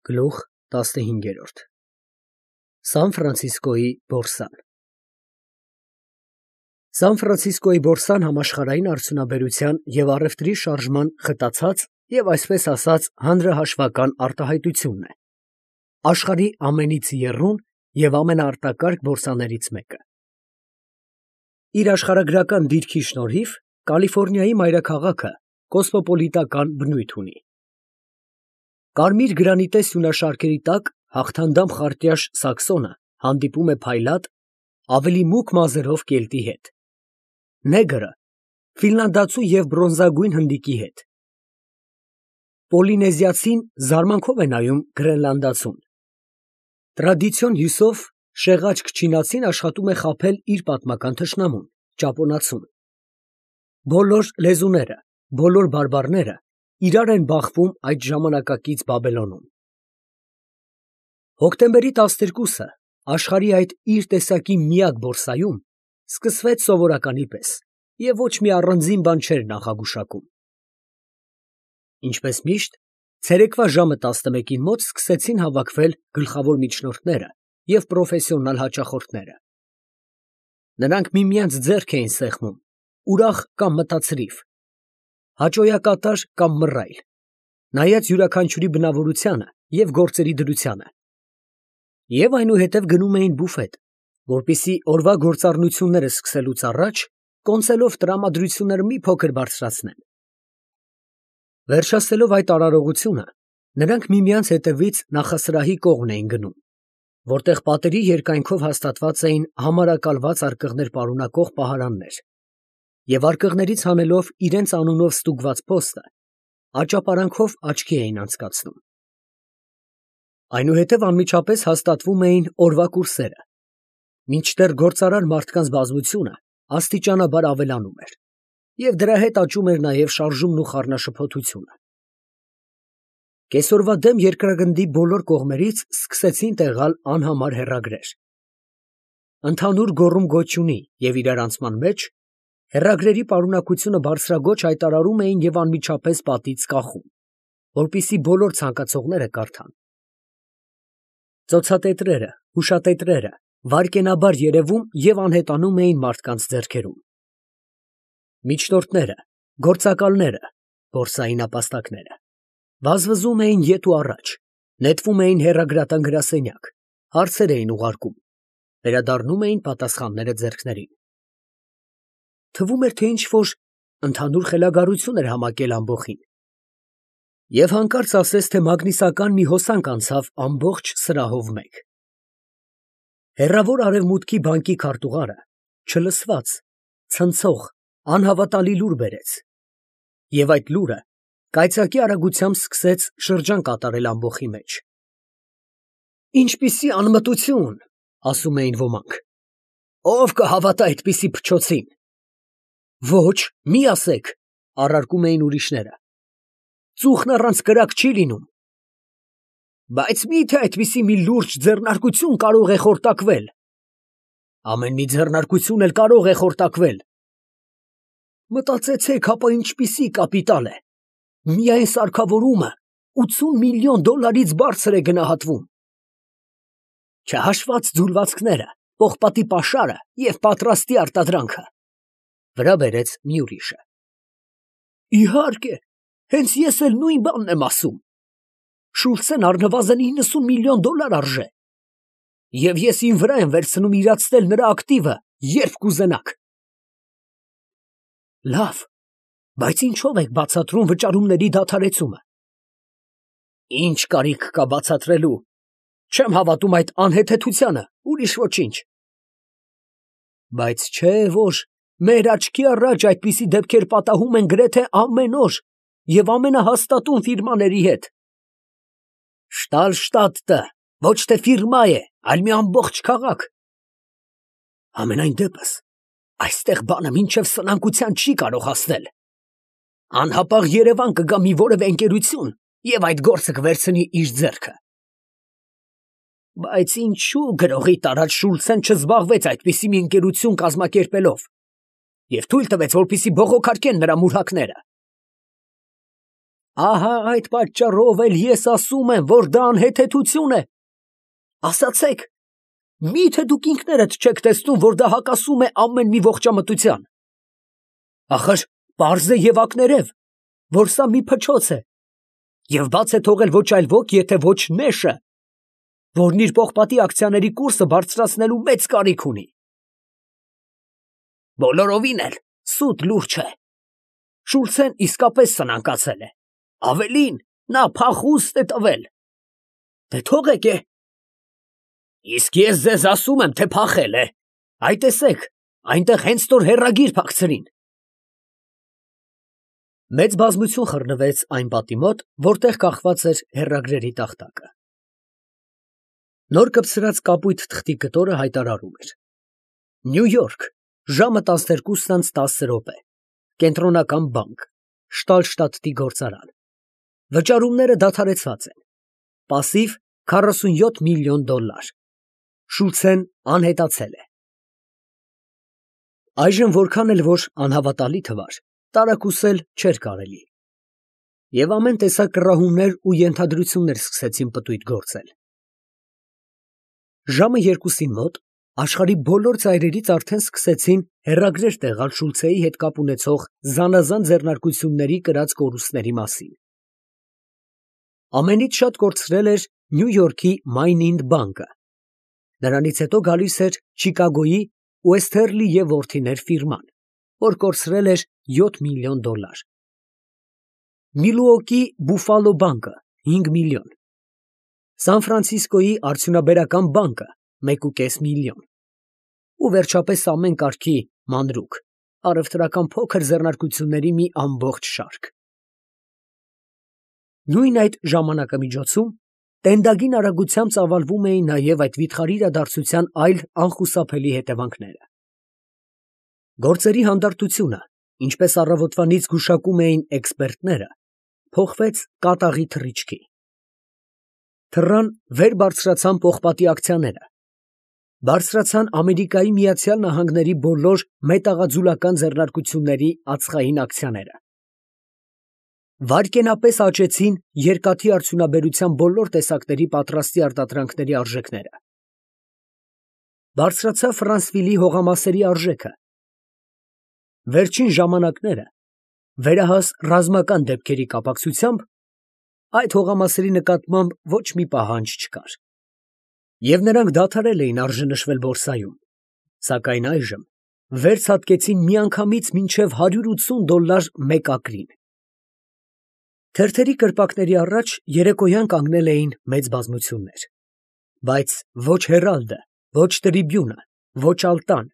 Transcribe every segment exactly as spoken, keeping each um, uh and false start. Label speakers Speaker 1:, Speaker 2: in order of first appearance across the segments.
Speaker 1: Գլուխ տասնհինգ. Սան Ֆրանցիսկոյի բորսան Սան Ֆրանցիսկոյի բորսան համաշխարհային արդյունաբերության և առևտրի շարժման խտացած և այսպես ասած հանրահաշվական արտահայտությունն է, աշխարհի ամենից եռուն և ամենաարտակարգ բորսաներից մեկը։ Իր աշխարհագրական դիրքի շնորհիվ Կալիֆոռնիայի մայրաքաղաքը կոսմոպոլիտական բնույթ ունի։ Կարմիր գրանիտե սյունաշարքերի տակ հաղթանդամ խարտյաշ սաքսոնը հանդիպում է փայլատ, ավելի մուգ մազերով կելտի հետ, նեգրը ֆինլանդացու և բրոնզագույն հնդիկի հետ, պոլինեզիացին զարմանքով է նայում գրենլանդացուն, տրադիցիոն հյուսով շեղաճք չինացին աշխատում է խաբել իր պատմական թշնամուն՝ ճապոնացուն։ Բոլոր լեզուները, բոլոր բարբառները իրար են բախվում այդ ժամանակակից Բաբելոնում։ Հոկտեմբերի տասներկուսը աշխարհի այդ իր տեսակի միակ բորսայում սկսվեց սովորականի պես և ոչ մի առանձին բան չէր նախագուշակում։ Ինչպես միշտ, ցերեկվա ժամը տասնմեկին մոտ սկսեցին հավաքվել գլխավոր միջնորդները և պրոֆեսիոնալ հաճախորդները։ Նրանք միմյանց ձեռք էին սեղմում, ուրախ կամ մտածրիվ, հաճոյակատար կամ մռայլ, նայած յուրաքանչյուրի բնավորությանը և գործերի դրությանը, և այնուհետև գնում էին բուֆետ, որպեսզի օրվա գործառնությունները սկսելուց առաջ կոնցելով տրամադրությունները մի փոքր բարձրացնեն։ Վերջացնելով այդ արարողությունը, նրանք միմյանց հետևից նախասրահի կողմն էին գնում, որտեղ պատերի երկայնքով հաստատված էին համարակալված արկղներ պարունակող պահարաններ, և արկղներից հանելով իրենց անունով ստուգված փոստը, աճապարանքով աչքի էին անցկացնում։ Այնուհետև անմիջապես հաստատվում էին օրվա կուրսերը, մինչդեռ գործարար մարդկանց բազմությունը աստիճանաբար ավելանում էր, և դրա հետ աճում էր նաև շարժումն ու խառնաշփոթությունը։ Կեսօրվա դեմ երկրագնդի բոլոր կողմերից սկսեցին տեղալ անհամար հեռագրեր։ Ընդհանուր գոռում֊գոչյունի և իրարանցման մեջ հեռագրերի պարունակությունը բարձրաձոչ հայտարարում էին և անմիջապես պատից կախում, որպեսզի բոլոր ցանկացողները կարդան։ Ծոցատետրերը, հուշատետրերը վայրկենաբար երևում և անհետանում էին մարդկանց ձեռքերում։ Միջնորդները, գործակալները, բորսայի նապաստակները վազվզում էին ետ ու առաջ, նետվում էին հեռագրատան գրասենյակ, հարցեր էին ուղարկում, վերադառնում էին պատասխանները ձեռքներին։ Թվում էր, թե ինչ֊որ ընդհանուր խելագարություն էր համակել ամբոխին, և հանկարծ ասես, թե մագնիսական մի հոսանք անցավ ամբողջ սրահով մեկ։ Հեռավոր արևմուտքի բանկի քարտուղարը չլսված, ցնցող, անհավատալի լուր բերեց, և այդ լուրը կայծակի արագությամբ սկսեց շրջան կատարել ամբոխի մեջ։ «Ինչպիսի անմտություն, ֊ ասում էին ոմանք, ֊ ո՞վ կհավատա այդպիսի փչոցին»։ «Ոչ, մի ասեք, ֊ առարկում էին ուրիշները, ֊ ծուխն առանց կրակ չի լինում»։ «Բայց մի՞թե այդպիսի մի լուրջ ձեռնարկություն կարող է խորտակվել»։ «Ամեն մի ձեռնարկություն էլ կարող է խորտակվել»։ «Մտածեցեք, հապա ինչպիսի կապիտալ է, միայն սարքավորումը ութսուն միլիոն դոլարից բարձր է գնահատվում»։ «Չհաշված ձուլվածքները, պողպատի պաշարը և պատրաստի արտադրանքը», ֊ վրա բերեց մի ուրիշը։ «Իհարկե, հենց ես էլ նույն բանն եմ ասում. Շուլցեն առնվազն իննսուն միլիոն դոլար արժե, և ես իմ վրա եմ վերցնում իրացնել նրա ակտիվը, երբ կուզենաք»։ «Լավ, բայց ինչո՞վ եք բացատրում վճարումների դադարեցումը»։ «Ինչ կարիք կա բացատրելու, չեմ հավատում այդ անհեթեթությանը, ուրիշ ոչինչ»։ «Բայց չէ՞ որ մեր աչքի առաջ այդպիսի դեպքեր պատահում են գրեթե ամեն օր և ամենահաստատուն ֆիրմաների հետ»։ «Շտալշտադտը ոչ թե ֆիրմա է, այլ մի ամբողջ քաղաք»։ «Համենայն դեպս, այստեղ բանը մինչև սնանկության չի կարող հասնել. անհապաղ Երևան կգա մի որևէ ընկերություն և այդ գործը կվերցնի իր ձեռքը»։ «Բայց ինչո՞ւ գրողի տարած Շուլցեն չզբաղվեց այդպիսի մի ընկերություն կազմակերպելով և թույլ տվեց, որպեսզի բողոքարկեն նրա մուրհակները»։ Ահա այդ պատճառով էլ ես ասում եմ, որ դա անհեթեթություն է։ Ասացեք, մի՞թե դուք ինքներդ չեք տեսնում, որ դա հակասում է ամեն մի ողջամտության։ Ախր պարզ է և ակներև, որ սա մի փչոց է, և բաց է թողել ոչ այլ ոք, եթե ոչ Նեշը, որն իր պողպատի ակցիաների կուրսը բարձրացնելու մեծ կարիք ունի։ Բոլորովին էլ սուտ լուր չէ։ Շուլցեն իսկապես սնանկացել է, ավելին, նա փախուստ է տվել։ Դե թողեք է։ Իսկ ես ձեզ ասում եմ, թե փախել է։ Այ տեսեք, այնտեղ հենց նոր հեռագիր փակցրին։ Մեծ բազմություն խռնվեց այն պատի մոտ, որտեղ կախված էր հեռագրերի տախտակը։ Նոր կպցրած կապույտ թղթի կտորը հայտարարում էր. Նյու Յորք, ժամը տասներկուսն անց տասը րոպե, Կենտրոնական բանկ, Շտալշտադտի գործարան։ Վճարումները դադարեցված են։ Պասիվ քառասունյոթ միլիոն դոլար։ Շուլցեն անհետացել է։ Այժմ որքան էլ որ անհավատալի թվար, տարակուսել չէր կարելի։ Եվ ամեն տեսակ կռահումներ ու ենթադրություններ սկսեցին պտույտ գործել։ Ժամը երկուսին մոտ աշխարհի բոլոր ծայրերից արդեն սկսեցին հեռագրեր տեղալ Շուլցեի հետ կապ ունեցող զանազան ձեռնարկությունների կրած կորուստների մասին։ Ամենից շատ կորցրել էր Նյու Յորքի Մայնինդ բանկը։ Նրանից հետո գալիս էր Չիկագոյի Ուեսթերլի և որդիներ ֆիրման, որ կորցրել էր յոթ միլիոն դոլար։ Միլուոկի Բուֆալո բանկը հինգ միլիոն։ Սան Ֆրանցիսկոյի արդյունաբերական բանկը մեկ ու կես միլիոն։ Ու վերջապես ամեն կարգի մանրուք, առևտրական փոքր ձեռնարկությունների մի ամբողջ շարք։ Նույն այդ ժամանակամիջոցում տենդագին արագությամբ ծավալվում էին նաև այդ վիթխարի իրադարձության այլ անխուսափելի հետևանքները։ Գործերի հանդարտությունը, ինչպես առավոտվանից գուշակում էին էքսպերտները, փոխվեց կատաղի թռիչքի։ Թռան վեր բարձրացան պողպատի ակցիաները, բարձրացան Ամերիկայի Միացյալ Նահանգների բոլոր մետաղաձուլական ձեռնարկությունների ածխային ակցիաները։ Վայրկենապես աճեցին երկաթի արդյունաբերության բոլոր տեսակների պատրաստի արտադրանքների արժեքները։ Բարձրացավ Ֆրանսվիլի հողամասերի արժեքը։ Վերջին ժամանակները վերահաս ռազմական դեպքերի կապակցությամբ այդ հողամասերի նկատմամբ ոչ մի պահանջ չկար, և նրանք դադարել էին արժանշվել բորսայում, սակայն այժմ վեր ցատկեցին միանգամից մինչև հարյուր ութսուն դոլար մեկ ակրին։ Թերթերի կրպակների առաջ երեկոյան կանգնել էին մեծ բազմություններ, բայց ոչ Հերալդը, ոչ Տրիբյունը, ոչ Ալտան,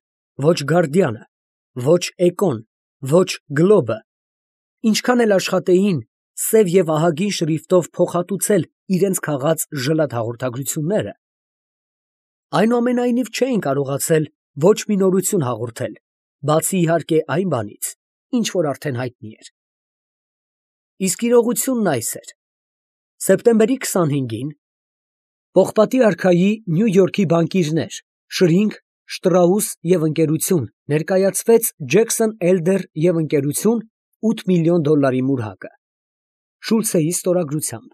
Speaker 1: ոչ Գարդիանը, ոչ Էկոն, ոչ Գլոբը, ինչքան էլ աշխատեին սև և ահագին շրիֆտով փոխհատուցել իրենց քաղած ժլատ հաղորդագրությունները, այնուամենայնիվ չէին կարողացել ոչ մի նորություն հաղորդել, բացի իհարկե այն բանից, ինչ որ արդեն հայտնի էր։ Իսկ իրողությունն այս էր. սեպտեմբերի քսանհինգին պողպատի արքայի Նյու Յորքի բանկիրներ Շրինգ, Շտրաուս և ընկերություն ներկայացվեց Ջեքսոն, Էլդեր և ընկերություն ութ միլիոն դոլարի մուրհակը Շուլցեի ստորագրությամբ,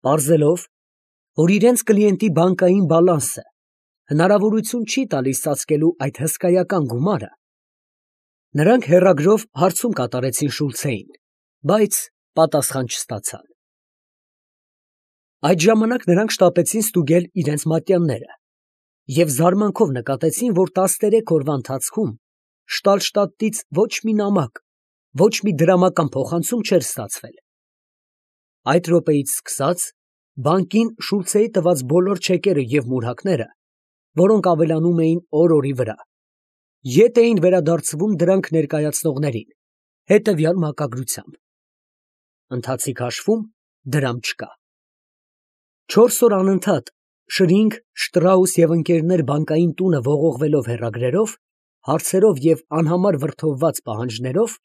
Speaker 1: պարզելով, որ իրենց կլիենտի բանկային բալանսը հնարավորություն չի տալիս ծածկելու այդ հսկայական գումարը, նրանք հեռագրով հարցում կատարեցին Շուլցեին, բայց պատասխան չստացան։ Այդ ժամանակ նրանք շտապեցին ստուգել իրենց մատյանները և զարմանքով նկատեցին, որ տասներեք օրվա ընթացքում Շտալշտադտից ոչ մի նամակ, ոչ մի դրամական փոխանցում չէր ստացվել։ Այդ րոպեից սկսած բանկին Շուլցեի տված բոլոր չեկերը և մուրհակները, որոնք ավելանում էին օր֊օրի վրա, ետ էին վերադարձվում դրանք ներկայացնողներին հետևյալ մակագրությամբ. ընթացիկ հաշվում դրամ չկա։ Չորս օր անընդհատ Շրինգ, Շտրաուս և ընկերներ բանկային տունը ողողվելով հեռագրերով, հարցերով և անհամար վրդովված պահանջներով,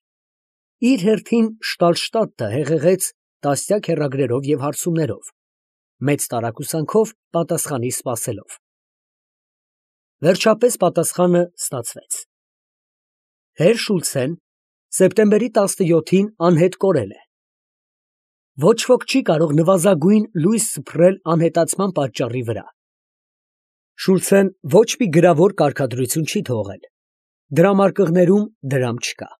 Speaker 1: իր հերթին Շտալշտադտը հեղեղեց տասնյակ հեռագրերով և հարցումներով, մեծ տարակուսանքով պատասխանի սպասելով։ Վերջապես պատասխանը ստացվեց. Հեր Շուլցեն սեպտեմբերի տասնյոթին անհետ կորել է։ Ոչ ոք չի կարող նվազագույն լույս սփռել անհետացման պատճառի վրա։ Շուլցեն ոչ մի գրավոր կարգադրություն չի թողել։ Դրամարկղներում դրամ չկա։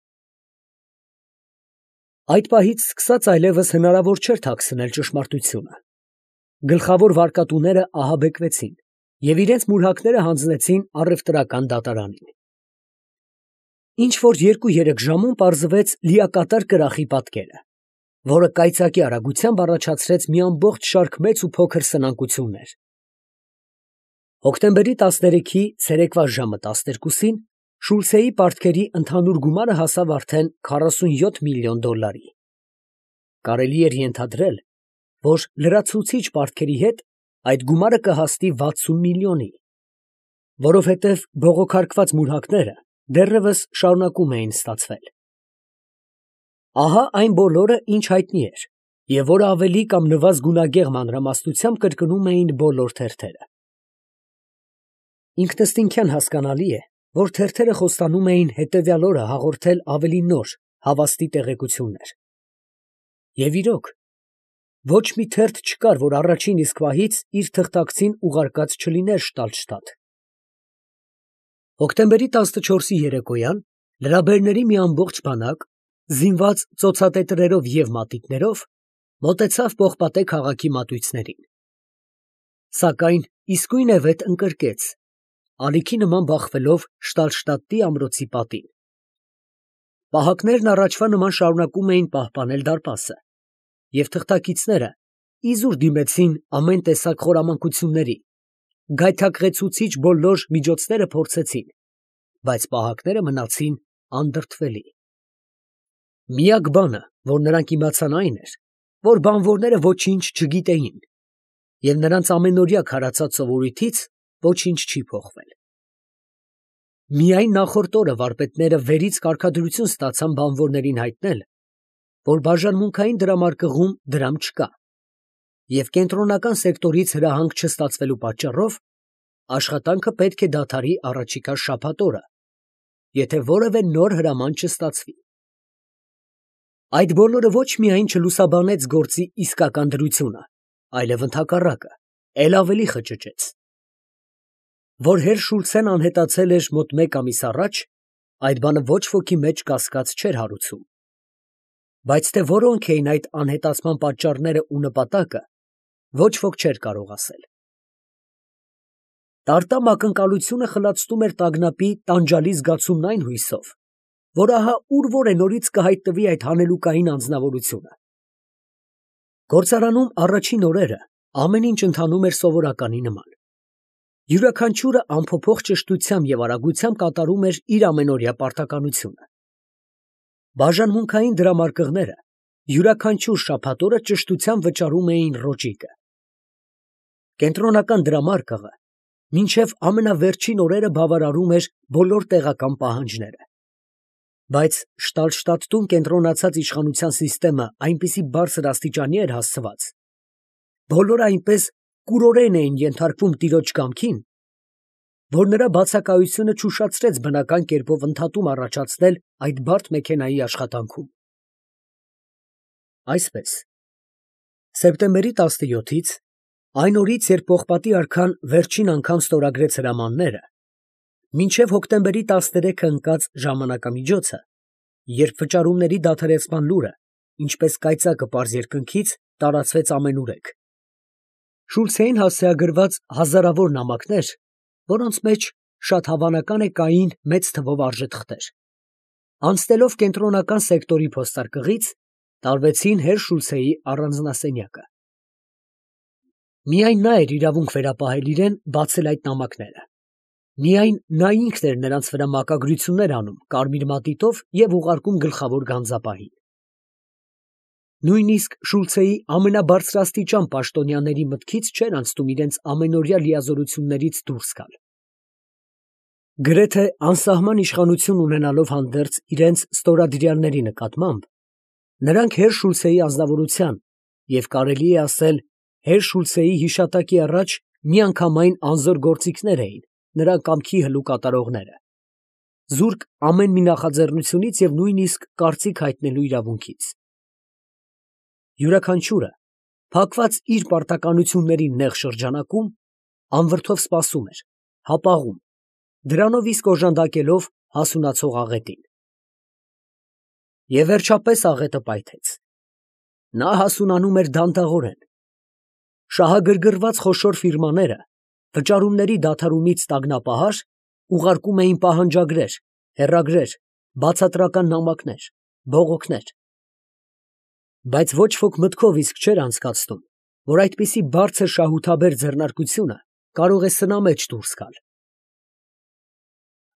Speaker 1: Այդ պահից սկսած այլևս հնարավոր չէր թաքցնել ճշմարտությունը։ Գլխավոր վարկատուները ահաբեկվեցին և իրենց մուրհակները հանձնեցին առևտրական դատարանին։ Ինչ֊որ երկու֊երեք ժամում պարզվեց լիակատար կրախի պատկերը, որը կայծակի արագությամբ առաջացրեց մի ամբողջ շարք մեծ ու փոքր սնանկություններ։ Հոկտեմբերի տասներեքի ցերեկվա ժամը տասներկուսին Շուլցեի պարտքերի ընդհանուր գումարը հասավ արդեն քառասունյոթ միլիոն դոլարի։ Կարելի էր ենթադրել, որ լրացուցիչ պարտքերի հետ այդ գումարը կհասնի վաթսուն միլիոնի, որովհետև բողոքարկված մուրհակները դեռևս շարունակում էին ստացվել։ Ահա այն բոլորը, ինչ հայտնի էր, և որը ավելի կամ նվազ գունագեղ մանրամասնությամբ կրկնում էին բոլոր թերթերը։ Ինքնըստինքյան հասկանալի է, որ թերթերը խոստանում էին հետևյալ օրը հաղորդել ավելի նոր, հավաստի տեղեկություններ։ Եվ իրոք, ոչ մի թերթ չկար, որ առաջին իսկ պահից իր թղթակցին ուղարկած չլիներ Շտալշտադտ։ Հոկտեմբերի տասնչորսի երեկոյան լրաբերների մի ամբողջ բանակ, զինված ծոցատետրերով և մատիտներով, մոտեցավ պողպատե քաղաքի մատույցներին։ Սակայն իսկույնևեթ ընկրկեց, ալիքի նման բախվելով Շտալշտադտի ամրոցի պատին։ Պահակներն առաջվա նման շարունակում էին պահպանել դարպասը, և թղթակիցները իզուր դիմեցին ամեն տեսակ խորամանկությունների, գայթակղեցուցիչ բոլոր միջոցները փորձեցին, բայց պահակները մնացին անդրդվելի։ Միակ բանը, որ նրանք իմացան, այն էր, որ բանվորները ոչինչ չգիտեին, և նրանց ամենօրյա քարացած սովորույթից ոչինչ չի փոխվել։ Միայն նախորդ օրը վարպետները վերից կարգադրություն ստացան բանվորներին հայտնել, որ բաժանմունքային դրամարկղում դրամ չկա, և կենտրոնական սեկտորից հրահանգ չստացվելու պատճառով աշխատանքը պետք է դադարի առաջիկա շաբաթ օրը, եթե որևէ նոր հրաման չստացվի։ Այդ բոլորը ոչ միայն չլուսաբանեց գործի իսկական դրությունը, այլև ընդհակառակը, էլ ավելի խճճեց։ Որ հեր Շուլցեն անհետացել էր մոտ մեկ ամիս առաջ, այդ բանը ոչ ոքի մեջ կասկած չէր հարուցում։ Բայց թե որոնք էին այդ անհետացման պատճառները ու նպատակը, ոչ ոք չէր կարող ասել։ Տարտամ ակնկալությունը խլացնում էր տագնապի տանջալի զգացումն այն հույսով, որ ահա ուր֊որ է նորից կհայտնվի այդ հանելուկային անձնավորությունը։ Գործարանում առաջին օրերը ամեն ինչ ընթանում էր սովորականի նման։ Յուրաքանչյուրը անփոփոխ ճշտությամբ և արագությամբ կատարում էր իր ամենօրյա պարտականությունը։ Բաժանմունքային դրամարկղները յուրաքանչյուր շաբաթ օրը ճշտությամբ վճարում էին ռոճիկը։ Կենտրոնական դրամարկղը մինչև ամենավերջին օրերը բավարարում էր բոլոր տեղական պահանջները։ Բայց Շտալշտադտում կենտրոնացած իշխանության սիստեմը այնպիսի բարձր աստիճանի էր հասցված, բոլորը այնպես կուրորեն էին ենթարկվում տիրոջ կամքին, որ նրա բացակայությունը չուշացրեց բնական կերպով ընդհատում առաջացնել այդ բարդ մեքենայի աշխատանքում։ Այսպես, սեպտեմբերի տասնյոթից, այն օրից, երբ պողպատի արքան վերջին անգամ ստորագրեց հրամանները, մինչև հոկտեմբերի տասներեքը ընկած ժամանակամիջոցը, երբ վճարումների դադարեցման լուրը, ինչպես կայծակը պարզ երկնքից, տարածվեց ամենուրեք, Շուլցեին հասցեագրված հազարավոր նամակներ, որոնց մեջ շատ հավանական է կային մեծ թվով արժեթղթեր, անցնելով կենտրոնական սեկտորի փոստարկղից, տարվեցին հեր Շուլցեի առանձնասենյակը։ Միայն նա էր իրավունք վերապահել իրեն բացել այդ նամակները։ Միայն նա ինքն էր նրանց վրա մակագրություններ անում կարմիր մատիտով և ուղարկում գլխավոր գանձապահին։ Նույնիսկ Շուլցեի ամենաբարձրաստիճան պաշտոնյաների մտքից չէր անցնում իրենց ամենօրյա լիազորություններից դուրս գալ։ Գրեթե անսահման իշխանություն ունենալով հանդերձ իրենց ստորադրյալների նկատմամբ, նրանք հեր Շուլցեի ազնվորության և կարելի է ասել հեր Շուլցեի հիշատակի առաջ միանգամայն անզոր գործիքներ էին նրա կամքի հլու կատարողները, զուրկ ամեն մի նախաձեռնությունից և նույնիսկ կարծիք հայտնելու իրավունքից։ յուրաքանչյուրը, փակված իր պարտականությունների նեղ շրջանակում, անվրդով սպասում էր, հապաղում, դրանով իսկ օժանդակելով հասունացող աղետին։ Եվ վերջապես աղետը պայթեց. նա հասունանում էր դանդաղորեն։ Շահագրգռված խոշոր ֆիրմաները վճարումների դադարումից տագնապահար ուղարկում էին պահանջագրեր, հեռագրեր, բացատրական նամակներ, բողոքներ։ Բայց ոչ ոք մտքով իսկ չէր անցկացնում, որ այդպիսի բարձր շահութաբեր ձեռնարկությունը կարող է սնամեջ դուրս գալ։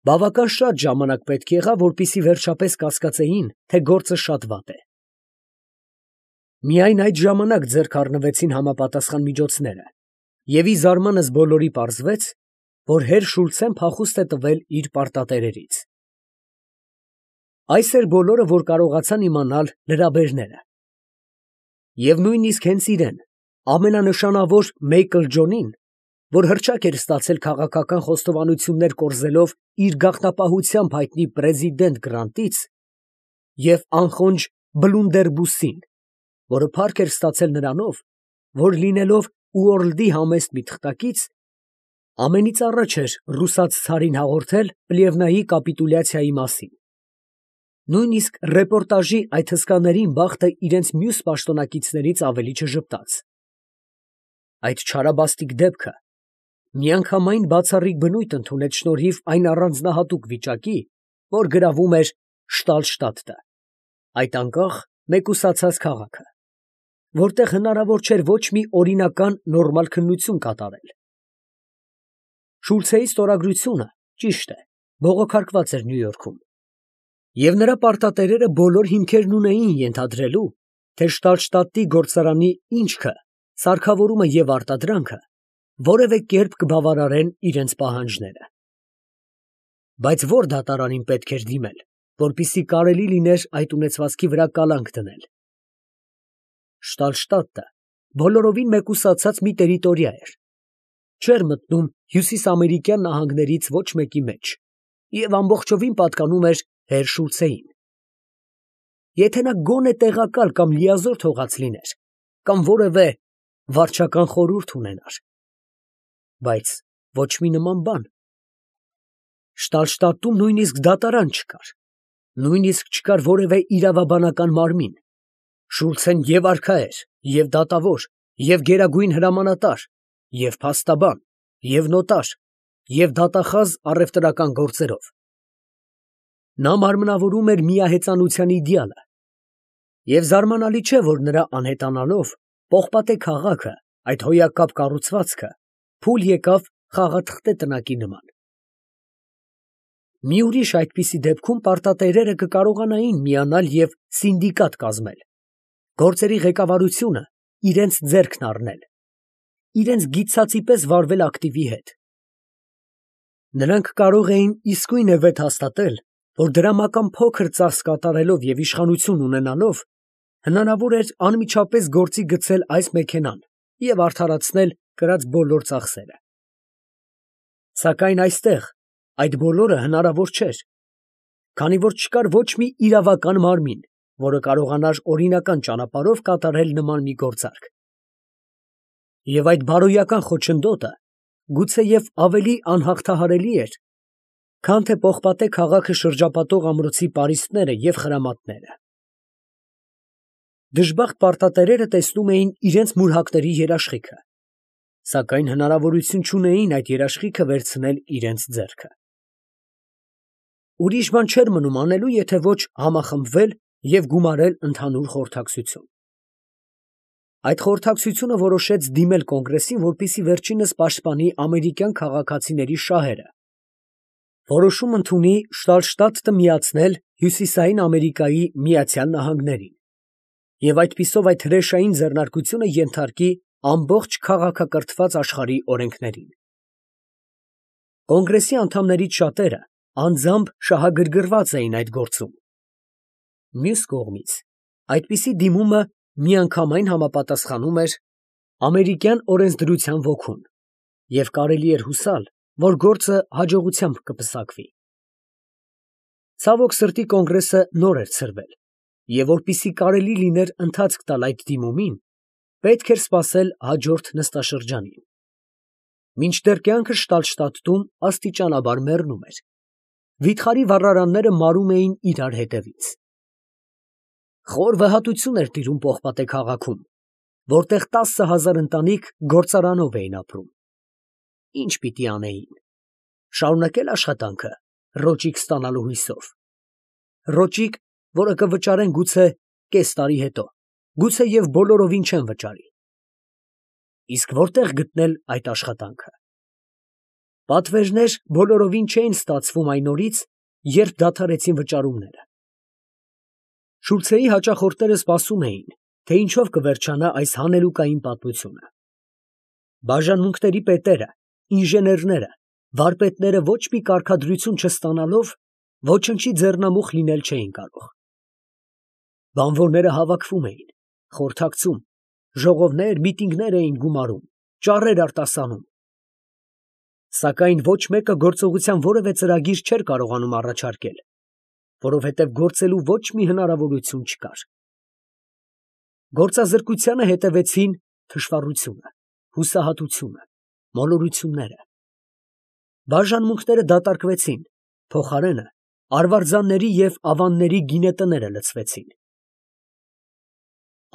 Speaker 1: Բավական շատ ժամանակ պետք եղավ, որպեսզի վերջապես կասկածեին, թե գործը շատ վատ է։ Միայն այդ ժամանակ ձեռք առնվեցին համապատասխան միջոցները, և ի զարմանս բոլորի պարզվեց, որ հեր Շուլցեն փախուստ է տվել իր պարտատերերից։ Այս էր բոլորը, որ կարողացան իմանալ լրաբերները։ Եվ նույնիսկ հենց իրեն, ամենանշանավոր Մեյքլ Ջոնին, որ հռչակ էր ստացել քաղաքական խոստովանություններ կորզելով իր գաղտնապահությամբ հայտնի պրեզիդենտ Գրանտից, և անխոնջ Բլունդերբուսին, որը փառք էր ստացել նրանով, որ լինելով Ուորլդի համեստ մի թղթակից, ամենից առաջ էր ռուսաց ցարին հաղորդել Պլևնայի կապիտուլյացիայի մասին։ Նույնիսկ ռեպորտաժի այդ հսկաներին բախտը իրենց մյուս պաշտոնակիցներից ավելի չժպտաց։ Այդ չարաբաստիկ դեպքը միանգամայն բացառիկ բնույթ ընդունեց շնորհիվ այն առանձնահատուկ վիճակի, որ գրավում էր Շտալշտադտը, այդ անկախ մեկուսացած քաղաքը, որտեղ հնարավոր չէր ոչ մի օրինական նորմալ քննություն կատարել։ Շուլցեի ստորագրությունը, ճիշտ է, բողոքարկված էր Նյու Յորքում, և նրա պարտատերերը բոլոր հիմքերն ունեին ենթադրելու, թե Շտալշտադտի գործարանի ինչքը, սարքավորումը և արտադրանքը որևէ կերպ կբավարարեն իրենց պահանջները։ Բայց ո՞ր դատարանին պետք էր դիմել, որպեսզի կարելի լիներ այդ ունեցվածքի վրա կալանք դնել։ Շտալշտադտը բոլորովին մեկուսացած մի տերիտորիա էր, չէր մտնում հյուսիսամերիկյան նահանգներից ոչ մեկի մեջ և ամբողջովին պատկանում էր հեր Շուլցեին։ Եթե նա գոնե տեղակալ կամ լիազոր թողած լիներ, կամ որևէ վարչական խորհուրդ ունենար, բայց ոչ մի նման բան։ Շտալշտադտում նույնիսկ դատարան չկար, նույնիսկ չկար որևէ իրավաբանական մարմին։ Շուլցեն և արքա էր, և դատավոր, և գերագույն հրամանատար, և փաստաբան, և նոտար, և դատախազ առևտրական գործերով։ Նա մարմնավորում էր միահեծանության իդեալը, և զարմանալի չէ, որ նրա անհետանալով պողպատե քաղաքը, այդ հոյակապ կառուցվածքը, փուլ եկավ խաղաթղթե տնակի նման։ Մի ուրիշ այդպիսի դեպքում պարտատերերը կկարողանային միանալ և սինդիկատ կազմել, գործերի ղեկավարությունը իրենց ձեռքն առնել, իրենց գիտցածի պես վարվել ակտիվի հետ։ Նրանք կարող էին իսկույնևեթ հաստատել, որ դրամական փոքր ծախս կատարելով և իշխանություն ունենալով հնարավոր էր անմիջապես գործի գցել այս մեքենան և արդարացնել կրած բոլոր ծախսերը։ Սակայն այստեղ այդ բոլորը հնարավոր չէր, քանի որ չկար ոչ մի իրավական մարմին, որը կարողանար օրինական ճանապարհով կատարել նման մի գործարք։ Եվ այդ բարոյական խոչընդոտը գուցեև ավելի անհաղթահարելի էր, քան թե պողպատե քաղաքը շրջապատող ամրոցի պարիսպները և խրամատները։ Դժբախտ պարտատերերը տեսնում էին իրենց մուրհակների երաշխիքը, սակայն հնարավորություն չունեին այդ երաշխիքը վերցնել իրենց ձեռքը։ Ուրիշ բան չէր մնում անելու, եթե ոչ համախմբվել և գումարել ընդհանուր խորհրդակցություն։ Այդ խորհրդակցությունը որոշեց դիմել կոնգրեսին, որպեսզի վերջինս պաշտպանի ամերիկյան քաղաքացիների շահերը, որոշում ընդունի Շտալշտադտը միացնել Հյուսիսային Ամերիկայի Միացյալ Նահանգներին և այդպիսով այդ հրեշային ձեռնարկությունը ենթարկի ամբողջ քաղաքակրթված աշխարհի օրենքներին։ Կոնգրեսի անդամներից շատերը անձամբ շահագրգռված էին այդ գործում։ Մյուս կողմից, այդպիսի դիմումը միանգամայն համապատասխանում էր ամերիկյան օրենսդրության ոգուն, և կարելի էր հուսալ, որ գործը հաջողությամբ կպսակվի։ Ցավոք սրտի կոնգրեսը նոր էր ցրվել Եվ որպեսզի կարելի լիներ ընթացք տալ այդ դիմումին, պետք էր սպասել հաջորդ նստաշրջանին։ Մինչդեռ կյանքը շտապ֊շտապտում աստիճանաբար մեռնում էր, վիթխարի վառարանները մարում էին իրար հետևից։ Խոր վհատություն էր տիրում Պողպատե քաղաքում, որտեղ տասը հազար ընտանիք գործարանով էին ապրում։ Ի՞նչ պիտի անեին։ Շարունակե՞լ աշխատանքը ռոճիկ ստանալու հույսով։ Ռոճիկ, որը կվճարեն գուցե կես տարի հետո, գուցե և բոլորովին չեն վճարի։ Իսկ որտե՞ղ գտնել այդ աշխատանքը։ Պատվերներ բոլորովին չէին ստացվում այն օրից, երբ դադարեցին վճարումները։ Շուլցեի հաճախորդները սպասում էին, թե ինչով կվերջանա այս հանելուկային պատմությունը։ Բաժանմունքների պետերը, ինժեներները, վարպետները ոչ մի կարգադրություն չստանալով ոչնչի ձեռնամուխ լինել չէին կարող։ Բանվորները հավաքվում էին, խորհրդակցում, ժողովներ, միտինգներ էին գումարում, ճառեր արտասանում։ Սակայն ոչ մեկը գործողության որևէ ծրագիր չէր կարողանում առաջարկել, որովհետև գործելու ոչ մի հնարավորություն չկար։ Գործազրկությանը հետևեցին թշվառությունը, հուսահատությունը, մոլորությունները։ Բաժանմունքները դատարկվեցին, փոխարենը արվարձանների և ավանների գինետները լցվեցին։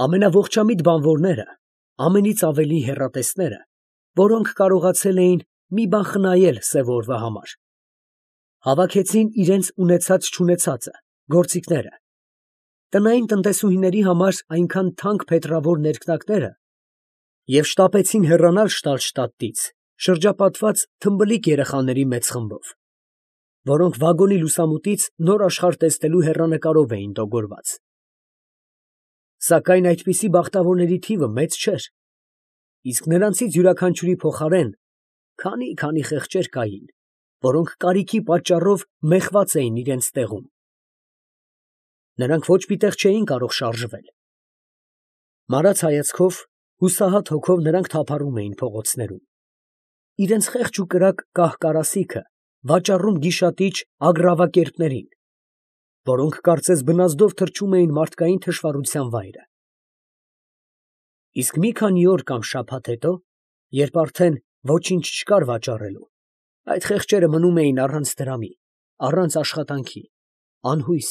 Speaker 1: Ամենաողջամիտ բանվորները, ամենից ավելի հեռատեսները, որոնք կարողացել էին մի բան խնայել սև օրվա համար, հավաքեցին իրենց ունեցած֊չունեցածը, գործիքները, տնային տնտեսուհիների համար այնքան թանկ փետրավոր ներքնակները և շտապեցին հեռանալ Շտալշտադտից շրջապատված թմբլիկ երեխաների մեծ խմբով, որոնք վագոնի լուսամուտից նոր աշխարհ տեսնելու հեռանկարով էին տոգորված։ Սակայն այդպիսի բախտավորների թիվը մեծ չէր, իսկ նրանցից յուրաքանչյուրի փոխարեն քանի֊քանի խեղճեր կային, որոնք կարիքի պատճառով մեխված էին իրենց տեղում։ Նրանք ոչ մի տեղ չէին կարող շարժվել։ Մարած հայացքով, հուսահատ հոգով նրանք թափառում էին փողոցներում, իրենց խեղճ ու կրակ կահ֊կարասիքը վաճառում գիշատիչ ագռավակերպներին, որոնք կարծես բնազդով թռչում էին մարդկային թշվառության վայրը։ Իսկ մի քանի օր կամ շաբաթ հետո, երբ արդեն ոչինչ չկար վաճառելու, այդ խեղճերը մնում էին առանց դրամի, առանց աշխատանքի, անհույս,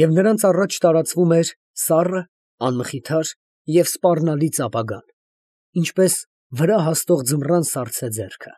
Speaker 1: և նրանց առաջ տարածվում էր սառը, անմխիթար և սպառնալից ապագան, ինչպես վրա հաստող ձմռան սառցե ձեռքը։